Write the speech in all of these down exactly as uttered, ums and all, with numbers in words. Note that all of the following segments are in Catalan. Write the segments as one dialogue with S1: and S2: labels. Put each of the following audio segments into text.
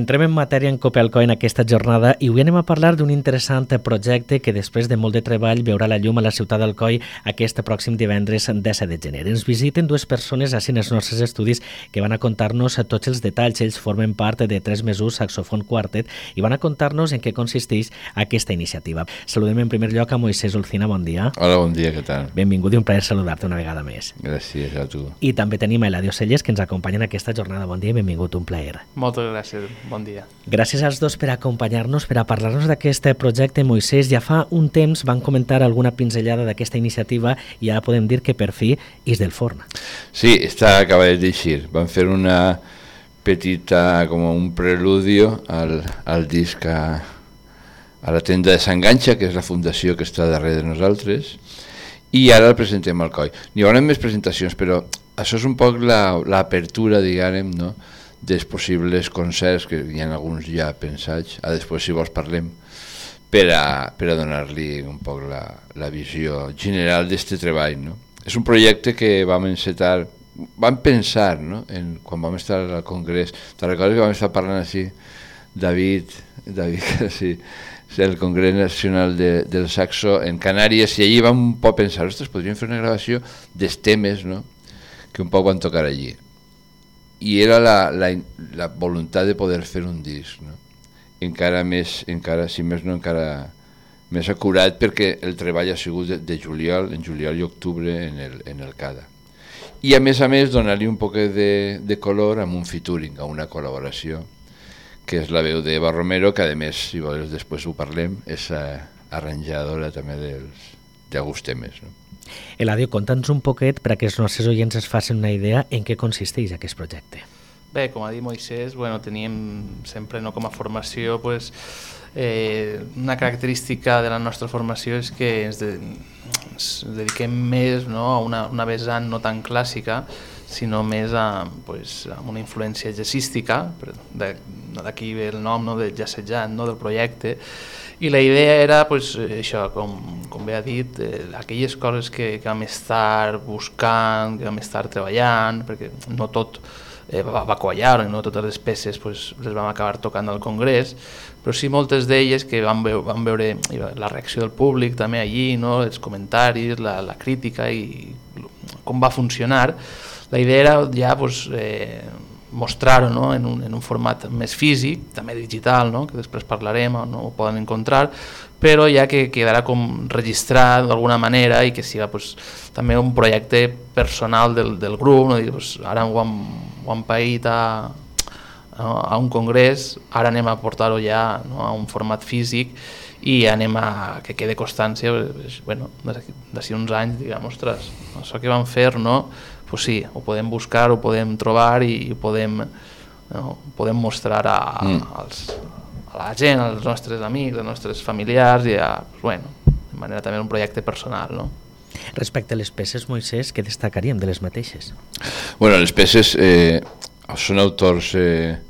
S1: Entrem en matèria en Copelco en aquesta jornada i avui anem a parlar d'un interessant projecte que després de molt de treball veurà la llum a la ciutat d'Alcoi aquest pròxim divendres disset de gener. Ens visiten dues persones així en els nostres estudis que van a contar-nos tots els detalls. Ells formen part de Tres Mesos Saxofon Quartet i van a contar-nos en què consisteix aquesta iniciativa. Saludem en primer lloc a Moisés Olcina, bon dia.
S2: Hola, bon dia, què tal?
S1: Benvingut i un plaer saludar-te una vegada més.
S2: Gràcies a tu.
S1: I també tenim a Eladio Celles, que ens acompanya en aquesta jornada. Bon dia i benvingut, un plaer.
S3: Moltes gràcies. Bon dia.
S1: Gràcies als dos per acompanyar-nos, per a parlar-nos d'aquest projecte. Moisés, ja fa un temps van comentar alguna pinzellada d'aquesta iniciativa i ara podem dir que per fi és del forn.
S2: Sí, està acabat d'eixir. Van fer una petita, com un preludio al, al disc a, a la tenda de Sant Ganxa, que és la fundació que està darrere de nosaltres, i ara el presentem al Coi. N'hi haurà més presentacions, però això és un poc l'apertura, diguem, no?, dels possibles concerts, que hi ha alguns ja pensats, a després si vols parlem, per a, per a donar-li un poc la, la visió general d'aquest treball, no? És un projecte que vam encetar, vam pensar, no?, en, quan vam estar al congrés. Te'n recordes que vam estar parlant així, David, David, sí, el Congrés Nacional de, del Saxo en Canàries, i allí vam un poc pensar, ostres, podríem fer una gravació dels temes, no?, que un poc van tocar allí. I era la, la, la voluntat de poder fer un disc, no? Encara més, encara, si més no, encara més acurat, perquè el treball ha sigut de, de juliol, en juliol i octubre en el, en el CADA. I a més a més donar-li un poc de, de color amb un featuring, a una col·laboració, que és la veu d'Eva Romero, que a més, si vols després ho parlem, és arranjadora també dels, d'alguns temes, no?
S1: Eladio, conta'ns un poquet per a que els nostres oients es facin una idea en què consisteix aquest projecte.
S3: Bé, com ha dit Moisés, bueno, teníem sempre, no, com a formació, pues, eh, una característica de la nostra formació és que ens, de, ens dediquem més, no, a una, una vessant no tan clàssica, sinó més a, pues, a una influència jazzística, d'aquí ve el nom, no, de jazzejant, no, del projecte. I la idea era, pues, això, com, com bé ha dit, eh, aquelles coses que, que vam estar buscant, que vam estar treballant, perquè no tot eh, va, va quallar, no totes les peces pues, les vam acabar tocant al Congrés, però sí moltes d'elles que vam veure, vam veure la reacció del públic també allí, no? Els comentaris, la, la crítica i com va funcionar. La idea era ja pues, eh, mostrar-ho, no? en, un, en un format més físic, també digital, no? Que després parlarem, no ho poden encontrar, però ja que quedarà com registrat d'alguna manera i que siga pues, també un projecte personal del, del grup, no? Dir, pues, ara ho hem, ho hem paït a, a un congrés, ara anem a portar-ho ja, no? A un format físic i anem a que quede constància, bueno, d'ací uns anys, diguem, ostres, això que vam fer, no? Pues sí, ho podem buscar, ho podem trobar i ho podem, no, podem mostrar a, mm. als, a la gent, als nostres amics, als nostres familiars i a, pues bueno, de manera també un projecte personal, no?
S1: Respecte a les peces, Moisés, què destacaríem de les mateixes?
S2: Bueno, les peces eh, són autors eh,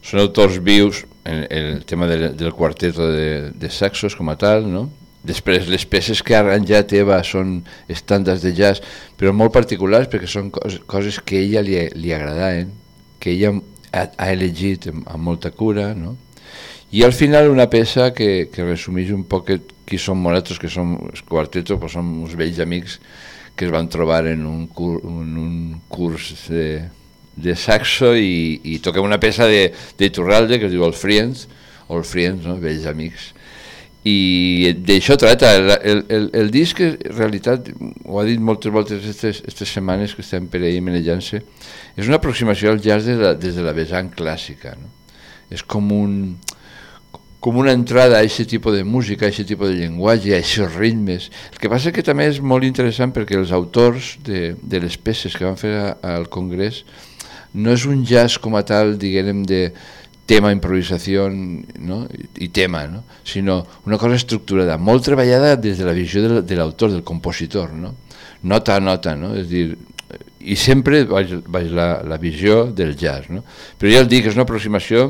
S2: són autors vius en, en el tema de, del quarteto de, de saxos com a tal, no? Després, les peces que ha arranjat Eva són estàndards de jazz, però molt particulars perquè són coses, coses que a ella li, li agradaven, que ella ha, ha elegit amb, amb molta cura, no? I al final una peça que, que resumeix un poc qui som nosaltres, que som el quarteto, pues som uns vells amics que es van trobar en un, cur, en un curs de, de saxo i, i toquem una peça de, de Iturralde que es diu El Friends, o El Friends, no? Vells amics. I d'això tracta, el, el, el, el disc en realitat, ho ha dit moltes voltes aquestes setmanes que estem per ahir manejant-se, és una aproximació al jazz des de la, des de la vessant clàssica, no? És com un, com una entrada a aquest tipus de música, a aquest tipus de llenguatge, a aquests ritmes. El que passa que també és molt interessant perquè els autors de, de les peces que van fer a, al Congrés no és un jazz com a tal, diguem, de tema, improvisació, no? I tema, no? Sinó una cosa estructurada, molt treballada des de la visió de, de l'autor, del compositor, no? Nota a nota, no? És dir, i sempre vaig, vaig la, la visió del jazz, no? Però ja el dic, és una aproximació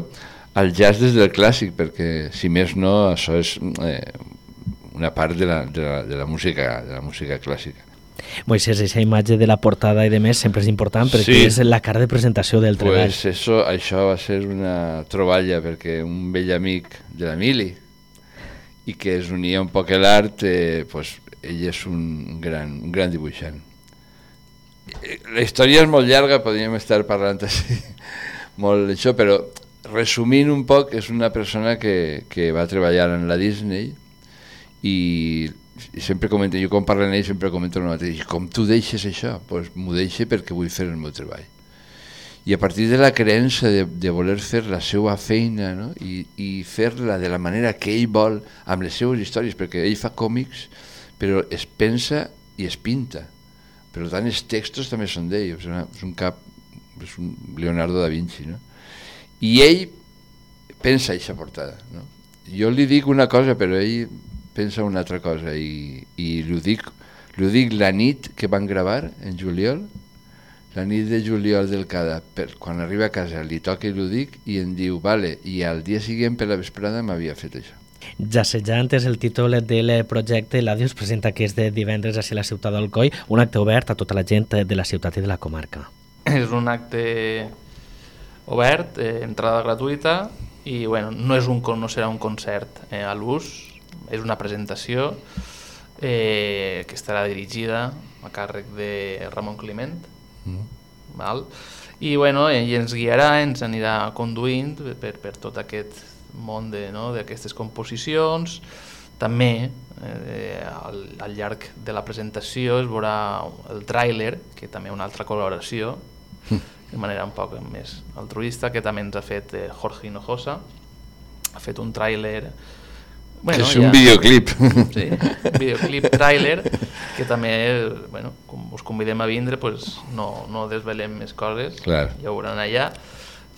S2: al jazz des del clàssic, perquè si més no, això és eh, una part de la, de, la, de, la música, de la música clàssica.
S1: Moisés, aquesta imatge de la portada i de més sempre és important perquè sí. És la cara de presentació del treball.
S2: Pues eso, això va ser una troballa perquè un vell amic de l'Emili i que es unia un poc a l'art, eh, pues, ell és un gran, un gran dibuixant. La història és molt llarga, podríem estar parlant així, molt d'això, però resumint un poc, és una persona que, que va treballar en la Disney i, i sempre comento, jo quan parlo amb ell sempre comento el mateix, com tu deixes això? Doncs pues m'ho deixo perquè vull fer el meu treball. I a partir de la creença de, de voler fer la seva feina, no? I, i fer-la de la manera que ell vol, amb les seves històries, perquè ell fa còmics, però es pensa i es pinta. Per tant, els textos també són d'ell, és, una, és un cap, és un Leonardo da Vinci, no? I ell pensa aquesta portada, no? Jo li dic una cosa però ell pensa una altra cosa i, i li, ho dic, li ho dic la nit que van gravar en juliol, la nit de juliol del Cada, per, quan arriba a casa li toca i li ho dic i em diu vale, i al dia següent per la vesprada m'havia fet això.
S1: Jassejant és el títol del projecte. L'Àudio es presenta aquest divendres a la ciutat d'Alcoi, un acte obert a tota la gent de la ciutat i de la comarca.
S3: És un acte obert, eh, entrada gratuïta i bueno, no, és un, no serà un concert eh, a l'ús, és una presentació eh, que estarà dirigida a càrrec de Ramon Climent, mm. val? I bueno, ell ens guiarà, ens anirà conduint per, per tot aquest món de, no, d'aquestes composicions. També eh, al, al llarg de la presentació es veurà el tràiler, que també una altra col·laboració, mm. de manera un poc més altruista, que també ens ha fet eh, Jorge Hinojosa, ha fet un tràiler...
S2: Bueno, és un ja, videoclip.
S3: Sí, un videoclip tràiler, que també, bueno, com us convidem a vindre, pues no, no desvelem més coses,
S2: clar.
S3: Ja ho veuran allà,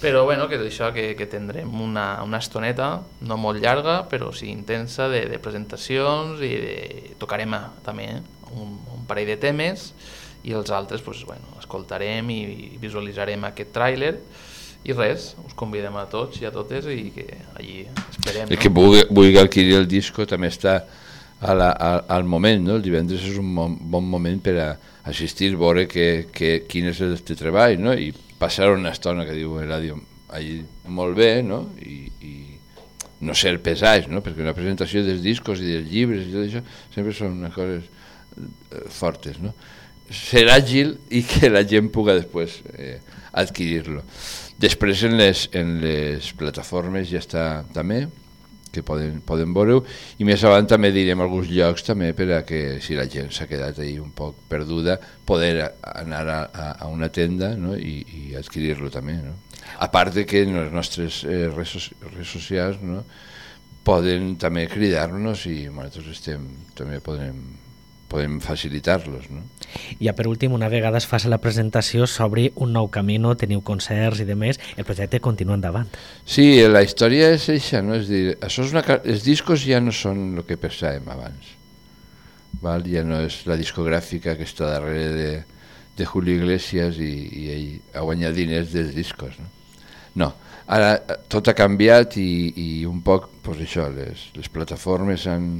S3: però bueno, que és això, que, que tindrem una, una estoneta, no molt llarga, però sí intensa, de, de presentacions, i de, tocarem a, també eh, un, un parell de temes, i els altres pues, bueno, escoltarem i visualitzarem aquest tràiler i res, us convidem a tots i a totes i que allí esperem.
S2: El
S3: no?
S2: que vulgui, vulgui adquirir el disco també està a la, a, al moment, no? El divendres és un bon, bon moment per a assistir, veure que, que, quin és el teu treball, no? I passar una estona, que diu Eladio, allí molt bé, no? I, i no ser pesats, no? Perquè una presentació dels discos i dels llibres i tot això sempre són unes coses fortes, no? Ser àgil i que la gent puga després eh, adquirir-lo. Després en les, en les plataformes ja està també, que poden, poden veure-ho, i més avant també direm alguns llocs també per a que si la gent s'ha quedat ahí un poc perduda, poder anar a, a, a una tenda, no? I, i adquirir-lo també, no? A part de que en les nostres eh, redes, redes socials, no? Poden també cridar-nos i nosaltres estem, també podem podem facilitar-los, no?
S1: Ja per últim, una vegada es faci la presentació, s'obri un nou camí, teniu concerts i demés, el projecte continua endavant.
S2: Sí, la història és això, no? És dir, això és una, els discos ja no són el que pensàvem abans, val? Ja no és la discogràfica que està darrere de, de Julio Iglesias i, i ell ha guanyat diners dels discos, no? No, ara tot ha canviat i, i un poc, pues això, les, les plataformes han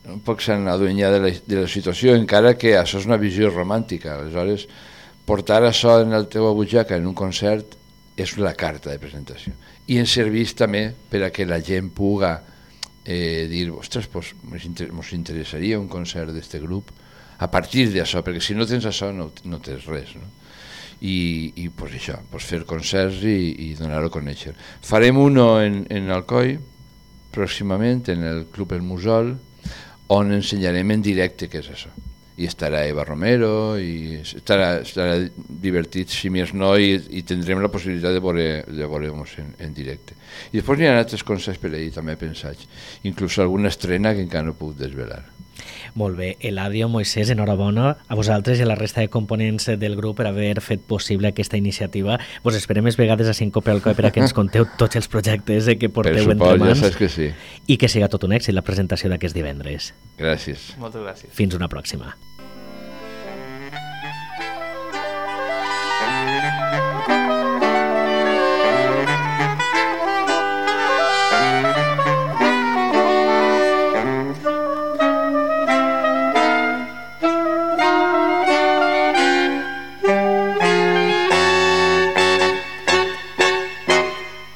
S2: un poc s'han aduenyat de la, de la situació, encara que això és una visió romàntica. Aleshores, portar això en la teva butxaca en un concert és la carta de presentació. I ens serveix també per a que la gent puga eh, dir, ostres, pues, ens interessaria un concert d'aquest grup a partir d'això, perquè si no tens això no, no tens res, no? I, i pues, això, pues, fer concerts i, i donar-ho a conèixer. Farem uno en, en Alcoi, pròximament, en el Club El Musol, on ensenyarem en directe què és això. i estarà Eva Romero, i estarà, estarà divertit, si més no, i, i tindrem la possibilitat de veure, de veure-nos en, en directe. I després hi ha altres concerts per ahir, també pensats, inclús alguna estrena que encara no puc desvelar.
S1: Molt bé, Eladio, Moisès, enhorabona a vosaltres i a la resta de components del grup per haver fet possible aquesta iniciativa. Vos esperem més vegades a Sincope Alcoi per a que ens conteu tots els projectes que porteu
S2: suport,
S1: entre mans,
S2: ja saps que sí.
S1: I que siga tot un èxit la presentació d'aquest divendres.
S2: Gràcies.
S3: Moltes gràcies.
S1: Fins una pròxima.